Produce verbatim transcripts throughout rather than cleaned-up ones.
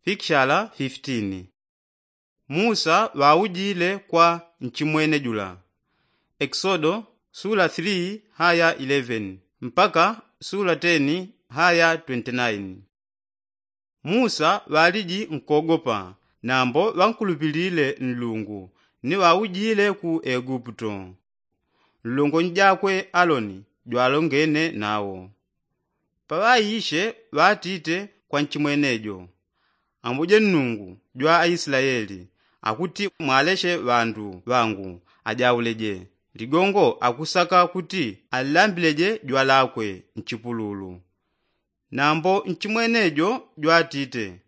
Pikshala fifitini. Musa ŵaujile kwa nchimwene jula. Eksodo sula three haya eleven mpaka sula ten haya twenty nine. Musa ŵaliji nkogopa, nambo ŵankulupilile nlungu ni ŵaujile ku eguputo. Nlongonyi jakwe aloni jwalongene nawo. Paŵaishe ŵatite kwa nchimwene jo, ambuje nnungu jwa aislaeli, akuti mwaleshe ŵandu ŵangu ajauleje. Ligongo akusaka kuti alilambileje jwa lakwe nchipululu. Nambo nchimwene jo jwatite,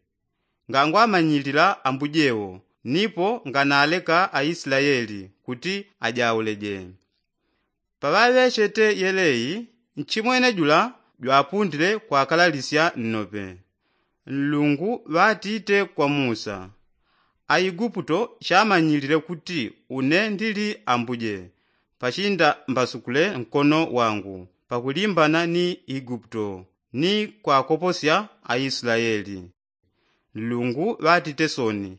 ngangwamanyilila ambuje wo, nipo nganaleka aislaeli kuti ajauleje. Paŵaŵechete yelei, nchimwene jula jwapundile kwakalalisya nnope. Nlungu ŵatite kwa musa, aiguputo chamanyilile kuti une ndili ambuje, pachinda mbasukule nkono wangu pakulimbana ni iguputo ni kwakoposya aislaeli. Nlungu ŵatite soni,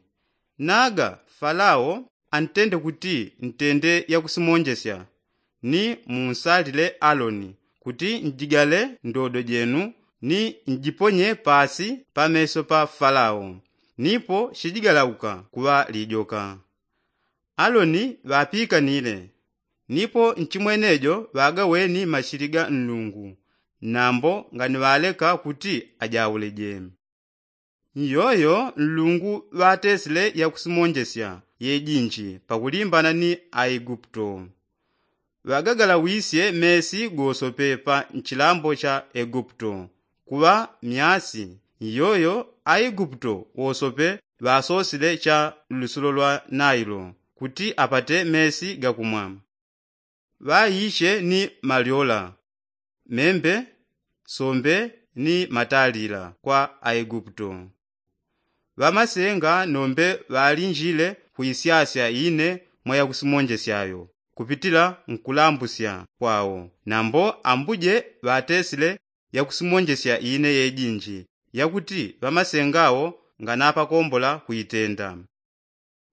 naga falao antende kuti ntende yakusimonjesya, ni munsalile aloni kuti njigale ndodo jenu ni njiponye pasi pameso pa falao, nipo shijigalauka kuŵa lijoka. Aloni ŵapikanile, nipo nchimwene jo ŵagaweni mashili ga nlungu, nambo nganiŵaleka kuti ajauleje. Nyoyo nlungu ŵatesile yakusimonjesya yejinji pakulimbana ni aiguputo. Ŵagagalawisye mesi gosope pa nchilambo cha eguputo kuŵa myasi. Nyoyo aiguputo wosope ŵasosile cha lusulo lwa nailo kuti apate mesi gakumwa. Ŵaishe ni malyola, membe, sombe ni matalila kwa aiguputo. Ŵamasenga nombe ŵalinjile kuisyasya ine mwa yakusimonjesyayo kupitila nkulambusya kwao. Nambo ambuje ŵatesile yakusimonjesya ine yejinji yakuti ŵamasenga wo nganapakombola kuitenda.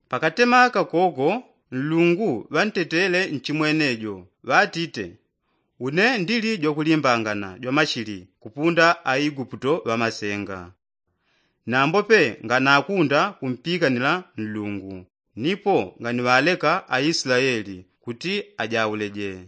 Pakatema kakoko nlungu ŵantetele nchimwene jo, ŵatite, une ndili jwakulimbangana jwamashili kupunda aiguputo ŵamasenga. Nambope nganakunda kumpikanila nlungu, nipo nganiŵaleka aislaeli kuti ajauleje.